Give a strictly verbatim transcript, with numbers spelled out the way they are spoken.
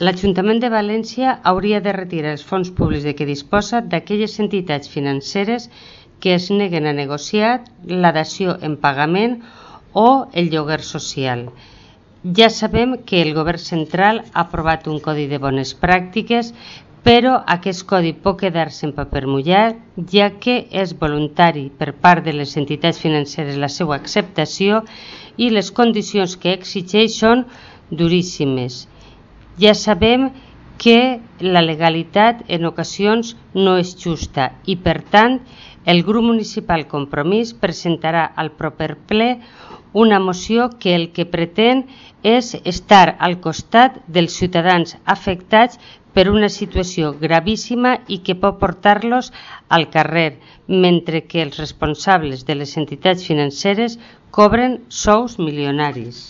L'Ajuntament de València hauria de retirar els fons públics de què disposa d'aquelles entitats financeres que es neguen a negociar la dació en pagament o el lloguer social. Ja sabem que el Govern central ha aprovat un codi de bones pràctiques, però aquest codi pot quedar-se en paper mullat, ja que és voluntari per part de les entitats financeres la seva acceptació i les condicions que exigeix són duríssimes. Ja sabem que la legalitat en ocasions no és justa i, per tant, el grup municipal Compromís presentarà al proper ple una moció que el que pretén és estar al costat dels ciutadans afectats per una situació gravíssima i que pot portar-los al carrer, mentre que els responsables de les entitats financeres cobren sous milionaris.